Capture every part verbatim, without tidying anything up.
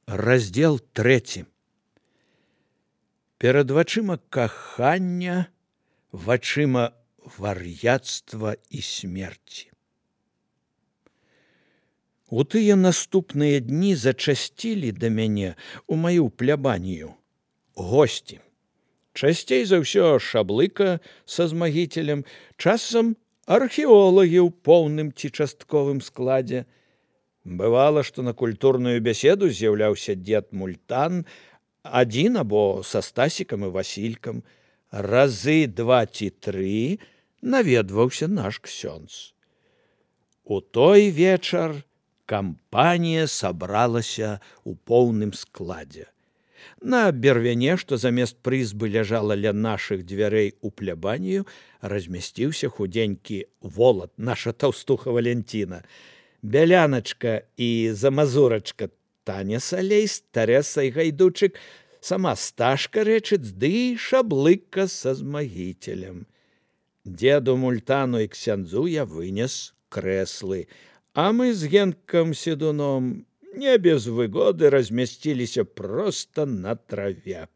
Раздзел трэці. Перад вачыма кахання, вачыма вар'яцтва і смерці. У тыя наступныя дні зачасцілі да мяне у маю плябанію госці. Часцей за ўсё шаблыка са змагіцелем, часам археолагі ў поўным ці частковым складзе. Бывала, што на культурную бяседу з'яўляўся дзед Мультан, адзін або са Стасікам і Васількам. Разы два ці тры наведваўся наш ксёндз. У той вечар кампанія сабралася ў поўным складзе. На бервяне, што замест прызбы ляжала ля нашых дзвярэй у плябанію, размясціўся худзенькі волат, наша таўстуха Валянціна, бяляначка і замазурачка Таня Салей, Тарэса і Гайдучык, сама Сташка Рэчыц, ды шаблыка са змагіцелем. Дзеду Мультану і ксяндзу я вынес крэслы, а мы з Генкам Седуном не без выгоды размясціліся проста на траве.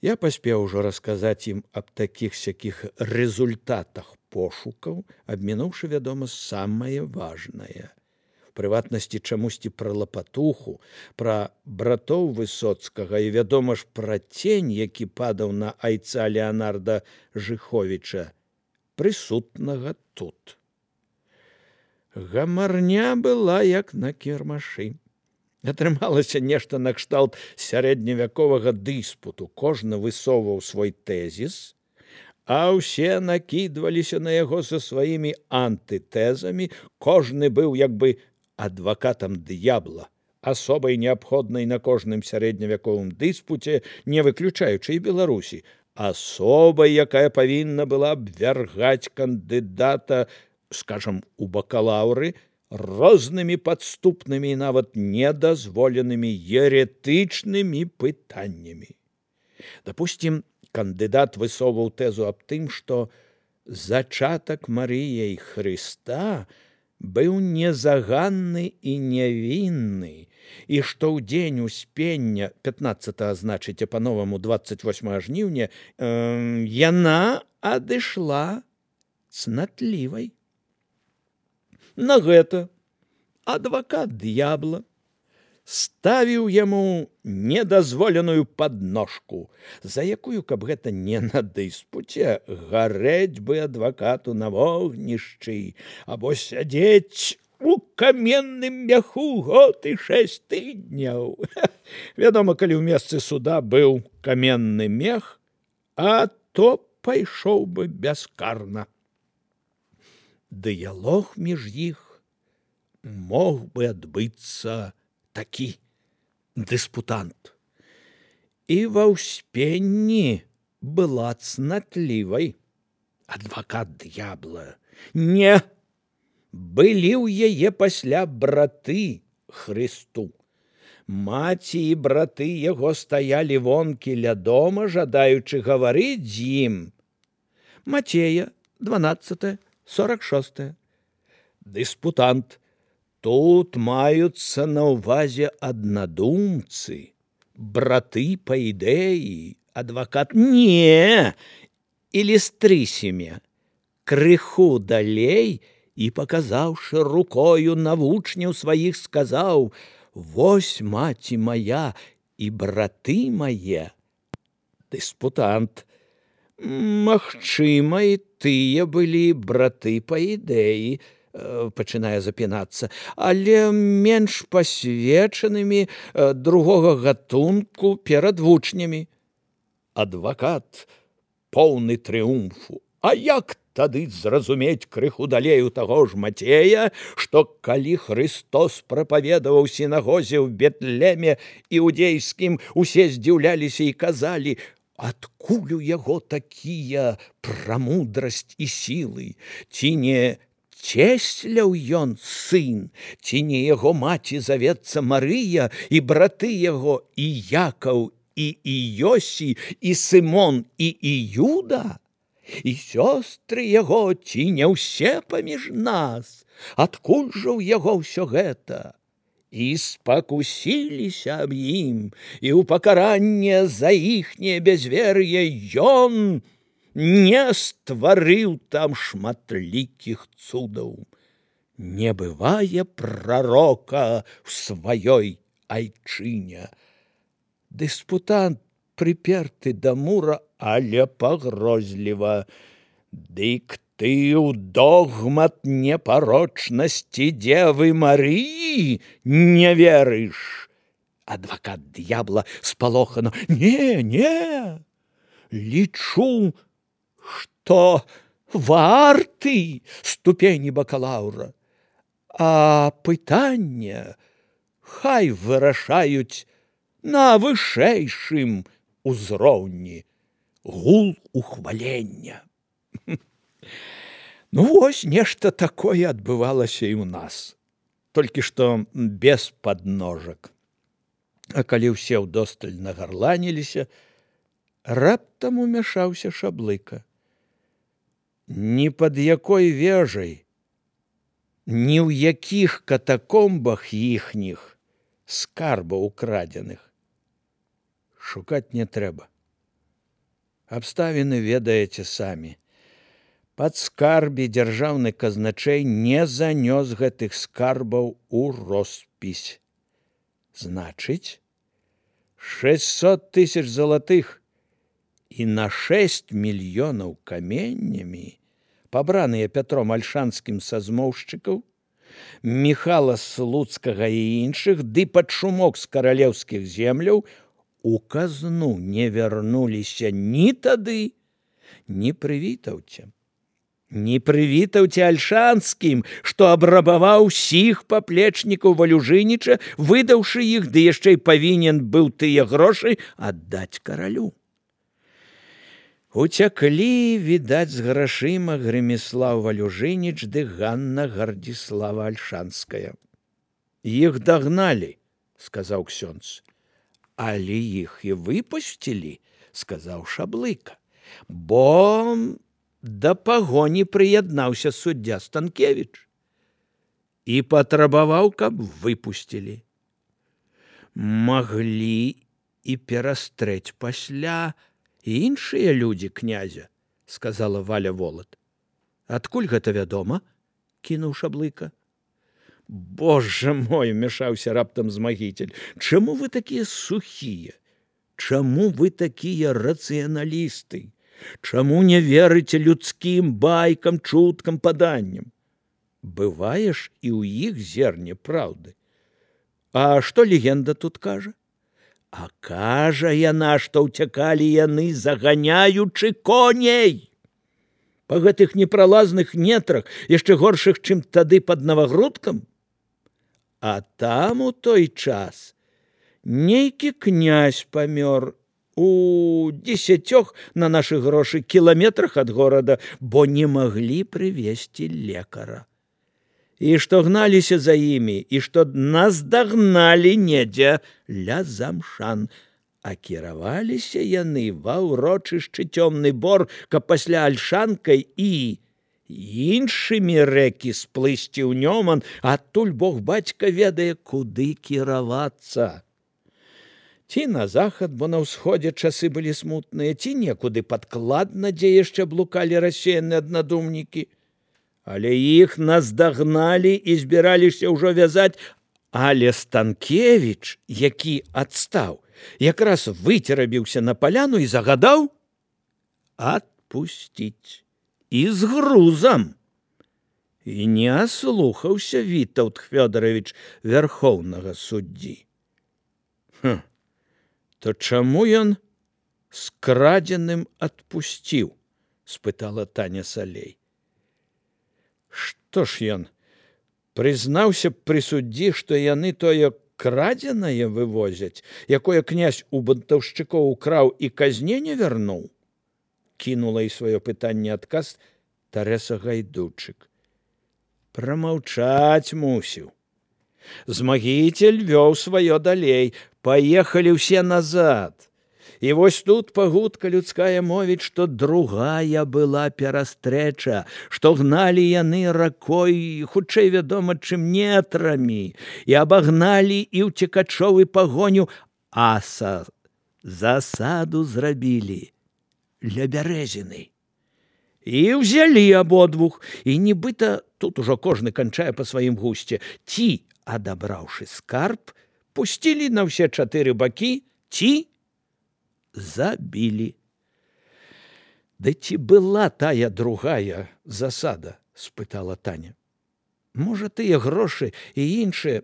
Я паспеў ужо расказаць ім аб такіх-сякіх рэзультатах пошукаў, абмінуўшы, вядома, самае важнае. У прыватнасці чамусьці пра лапатуху, пра братоў Высоцкага і, вядома ж, пра цень, які падаў на айца Леанарда Жыховіча, прысутнага тут. Гамарня была як на кірмашы. Атрымалася нешта накшталт сярэдневяковага дыспуту. Кожны высоўваў свой тэзіс, а ўсе накідваліся на яго са сваімі антытэзамі. Кожны быў як бы адвакатам д'ябла, асобай неабходнай на кожным сярэдневяковым дыспуце, не выключаючы і Беларусі, асобай, якая павінна была абвяргаць кандыдата, скажам, у бакалаўры, рознымі падступнымі і нават недазволенымі еретычнымі пытаннямі. Дапусцім, кандыдат высоўваў тэзу аб тым, што зачатак Марыяй Хрыста быў незаганны і нявінны, і што ў дзень успення, пятнаццатага, значыць, а па-новаму дваццаць восьмага жніўня, э, яна адышла цнатлівай. На гэта адвакат д'ябла ставіў яму недазволеную падножку, за якую, каб гэта не на дыспуце, гарэць бы адвакату на вогнішчы, або сядзець у каменным мяху год і шэсць тыдняў. Вядома, калі ў месцы суда быў каменны мех, а то пайшоў бы бяскарна. Дыялог між іх мог бы адбыцца такі дыспутант. І ва ўспенні была цнатлівай. Адвакат д'ябла. Не, былі ў яе пасля браты Хрысту. Маці і браты яго стаялі вонкі ля дома, жадаючы гаварыць з ім. Мацея, дванаццатае, сорак шостае. Дыспутант. Тут маюцца на ўвазе аднадумцы, браты па ідэі, адвакат. Не, ілістрысіме, крыху далей і, паказаўшы рукою на вучняў сваіх, сказаў: «Вось маці мая і браты мае». Дыспутант. Магчыма, і тыя былі браты па ідэі, пачынае запінацца, але менш пасвечанымі, другога гатунку перад вучнямі. Адвакат поўны трыумфу. А як тады зразумець крыху далей у таго ж Мацея, што калі Хрыстос прапаведаваў сінагозе ў Бетлеме іудзейскім, усе здзіўляліся і казалі: адкуль у яго такія прамудрасць і сілы? Ці не цесляў ён сын, ці не яго маці завецца Марыя, і браты яго і Якаў, і Іосі, і Сымон, і Іюда? І сёстры яго, ці не ўсе паміж нас? Адкуль жа ў яго ўсё гэта? і спакусіліся аб ім, і ў пакаранне за іхняе бязвер'е ён не стварыў там шматлікіх цудаў. Не бывае прарока в сваёй айчыне. Дыспутант прыперты да мура, але пагрозліва. Дык ты ў догмат непарочнасці Девы Марыі не верыш? Адвакат д'ябла спалохано. Не, не, лічу, што варты ступені бакалаўра, а пытанне хай вырашаюць на вышэйшым узроўні. Гул ухвалення. Ну, вось нешта такое адбывалася і ў нас. Толькі што без падножак. А калі ўсе ўдосталь нагарланіліся, раптам умяшаўся Шаблыка. Ні пад якой вежай, ні ў якіх катакомбах іхніх скарбаў украдзеных шукаць не трэба. Абставіны ведаеце самі. Пад скарбе дзяржаўны казначэй не занёс гэтых скарбаў у роспісь. Значыць, шэсцьсот тысяч залатых і на шэсць мільёнаў каменнямі, пабраныя Пятром Альшанскім са змоўшчыкаў, Міхала Слуцкага і іншых, ды пад шумок з каралеўскіх земляў у казну не вярнуліся ні тады, ні пры Вітаўце. Не пры Вітаўце Альшанскім, што абрабаваў усіх паплечнікаў Валюжыніча, выдаўшы іх, ды яшчэ й павінен быў тыя грошы аддаць каралю. Уцяклі, відаць, з грашыма Греміслаў Валюжыніч ды Ганна Гардзіслава Альшанская. Іх дагналі, сказаў ксёндз. Але іх і выпусцілі, сказаў Шаблыка, бо да пагоні прыяднаўся суддзя Станкевіч і патрабаваў, каб выпусцілі. Маглі і перастрэць пасля іншыя людзі князя, сказала Валя Волат. Адкуль гэта вядома? Кінуў Шаблыка. Боже мой, умяшаўся раптам Змагіцель, чаму вы такія сухія? Чаму вы такія рацыяналісты? Чаму не верыце людскім байкам, чуткам, паданням? Бывае ж і ў іх зерне праўды. А што легенда тут кажа? А кажа яна, што ўцякалі яны, заганяючы коней. Па гэтых непралазных нетрах, яшчэ горшых, чым тады пад Навагрудкам. А там у той час нейкі князь памёр у дзесяцёх на нашы грошы кіламетрах ад горада, бо не маглі прывезці лекара. І што гналіся за імі, і што нас дагналі недзе ля Замшан, а кіраваліся яны ва ўрочышчы Цёмны Бор, каб пасля Альшанкай і іншымі рэкі сплысці ў Нёман, адтуль Бог бацька ведае, куды кіравацца. Ці на захад, бо на ўсходзе часы былі смутныя, ці некуды падкладна, дзе яшчэ блукалі рассеяныя аднадумнікі. Але іх наздагналі і збіраліся ўжо вязаць, але Станкевіч, які адстаў, якраз выцерабіўся на паляну і загадаў адпусціць. І з грузам. І не аслухаўся Вітаўт Фёдаравіч вярхоўнага суддзі. Хм, то чаму ён скрадзеным адпусціў? Спытала Таня Салей. Што ж ён прызнаўся пры суддзі, што яны тое крадзенае вывозяць, якое князь у бунтаўшчыкоў украў і казне не вярнуў? Кінула і сваё пытанне адказ Тарэса Гайдучык. Прамаўчаць мусіў. Змагіцель вёў сваё далей. Паехалі ўсе назад. І вось тут пагутка людская мовіць, што другая была перастрэча, што гналі яны ракой, хутчэй вядома, чым нетрамі, і абагналі і ўцекачоў і пагоню, а са засаду зрабілі ля бярэзіны. І ўзялі абодвух, і нібыта тут ужо кожны канчае па сваім гусце. Ці, адабраўшы скарб, пусцілі на ўсе чатыры бакі, ці забілі. Ды ці была тая другая засада? Спытала Таня. Можа, тыя грошы і іншыя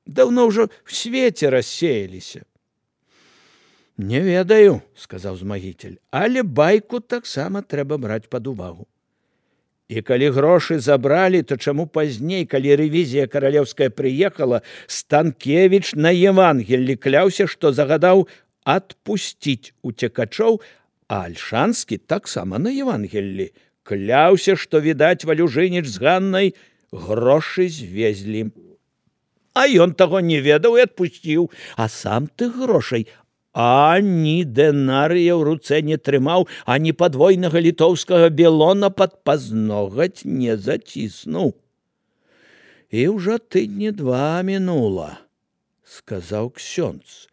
даўно ўжо в свеце рассеяліся. Не ведаю, сказаў змагіцель, але байку таксама трэба браць пад увагу. І калі грошы забралі, то чаму пазней, калі рэвізія каралеўская прыехала, Станкевіч на Евангеллі кляўся, што загадаў адпусціць уцекачоў, а Альшанскі таксама на Евангеллі кляўся, што, відаць, Валюжыніч з Ганнай грошы звезлі. А ён таго не ведаў і адпусціў, а сам тых грошай ані дэнарыя ў руцэ не трымаў, ані падвойнага літоўскага белона пад пазногаць не заціснуў. І ўжо тыдні два мінула, сказаў ксёндз,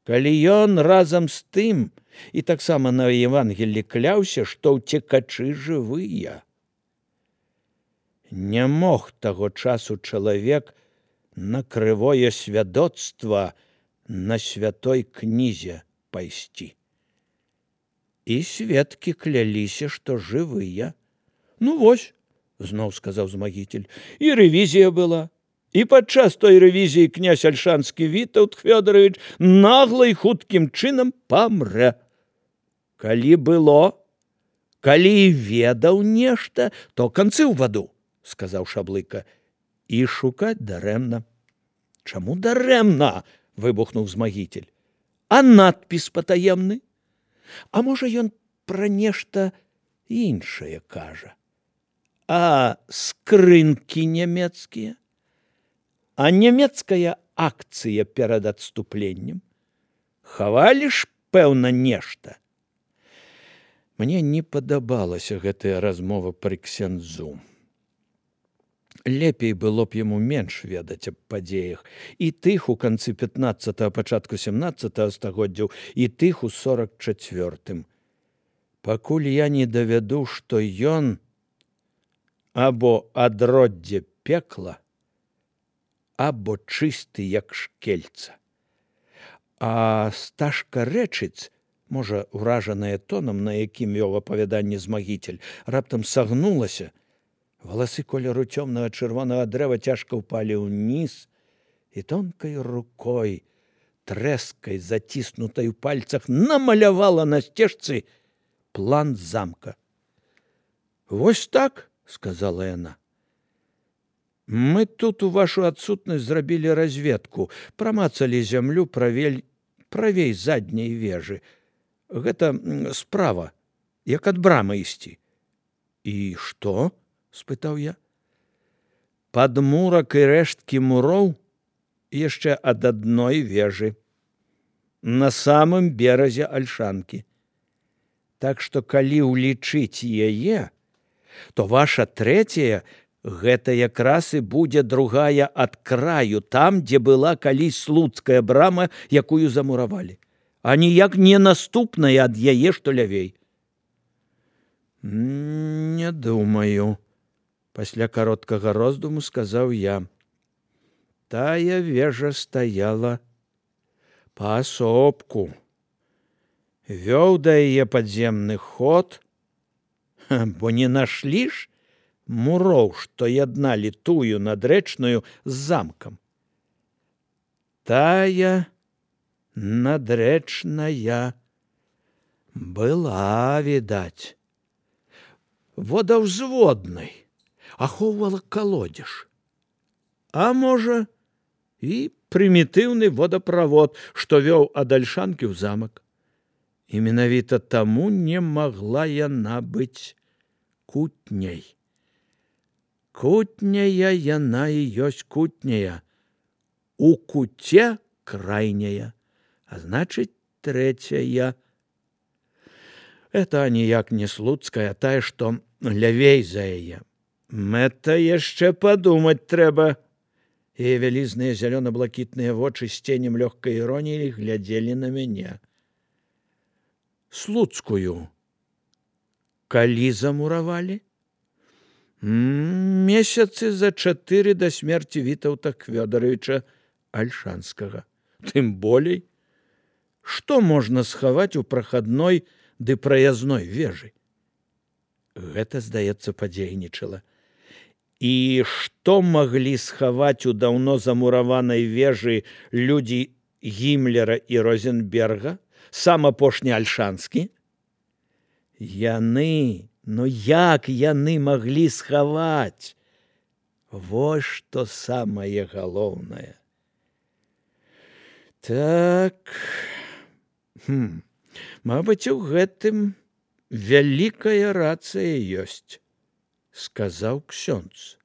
калі ён разам з тым і таксама на Евангеллі кляўся, што ўцекачы жывыя. Не мог таго часу чалавек на крывое свядоцтва на святой кнізе пайсці. І сведкі кляліся, што жывыя. Ну вось, зноў сказаў змагіцель, і рэвізія была. І падчас той рэвізіі князь Альшанскі Вітаўт Фёдорович нагла і хуткім чынам памрэ. Калі было, калі ведаў нешта, то канцы ў ваду, сказаў Шаблыка, і шукаць дарэмна. Чаму дарэмна? Выбухнуў змагіцель. А надпіс патаемны? А можа, ён пра нешта іншае кажа? А скрынкі нямецкія? А нямецкая акцыя перад адступленнем? Хавалі ж, пэўна, нешта. Мне не падабалася гэтая размова пры ксяндзу. Лепей было б яму менш ведаць аб падзеях, і тых у канцы пятнаццатага, пачатку сямнаццатага стагоддзяў, і тых у сорак чацвёртым. Пакуль я не давяду, што ён або адроддзе пекла, або чысты, як шкельца. А Сташка Рэчыц, можа, уражаная тонам, на якім вёў апавяданне змагіцель, раптам сагнулася, валасы колеру цёмнага чырвонага дрэва цяжка ўпалі ўніз, і тонкай рукой, трэскай, заціснутай у пальцах, намалявала на сцежцы план замка. «Вось так», — сказала яна. «Мы тут у вашу адсутнасць зрабілі разведку, прамацалі зямлю правель, правей задняй вежы. Гэта справа, як ад брамы ісці». «І што?» — спытаў я. «Падмурак і рэшткі муроў яшчэ ад адной вежы, на самым беразе Альшанкі. Так што, калі ўлічыць яе, то ваша трэцяя гэта якраз і будзе другая ад краю, там, дзе была калісь слуцкая брама, якую замуравалі, а ніяк не наступная ад яе, што лявей». «Не думаю», — пасля кароткага роздуму сказаў я. «Тая вежа стаяла паасобку. Вёў да яе падземны ход, бо не нашлі ж муроў, што ядналі тую надрэчную з замкам. Тая надрэчная была, відаць, водаўзводнай, ахоўвала калодзеж. А можа, і прымітыўны водаправод, што вёў ад Альшанкі ў замак. І менавіта таму не магла яна быць кутняй. Кутняя яна і ёсць кутняя. У куце крайняя, а значыць, трэцяя Это ніяк не слуцкая, тая, што лявей за яе. Мэта яшчэ падумаць трэба. Яе вялізныя зялёна-блакітныя вочы з ценем лёгкай іроніі глядзелі на мяне. Слуцкую калі замуравалі? Месяцы за чатыры да смерці Вітаўта Хвёдаровіча Альшанскага. Тым болей, што можна схаваць у прахадной ды праязной вежы? Гэта, здаецца, падзейнічала. І што маглі схаваць у даўно замураванай вежы людзі Гімлера і Розенберга, сам апошні Альшанскі? Яны, ну як яны маглі схаваць? Вось што самае галоўнае. Так, хм, мабыць, у гэтым вялікая рацыя ёсць, сказаў ксёндз.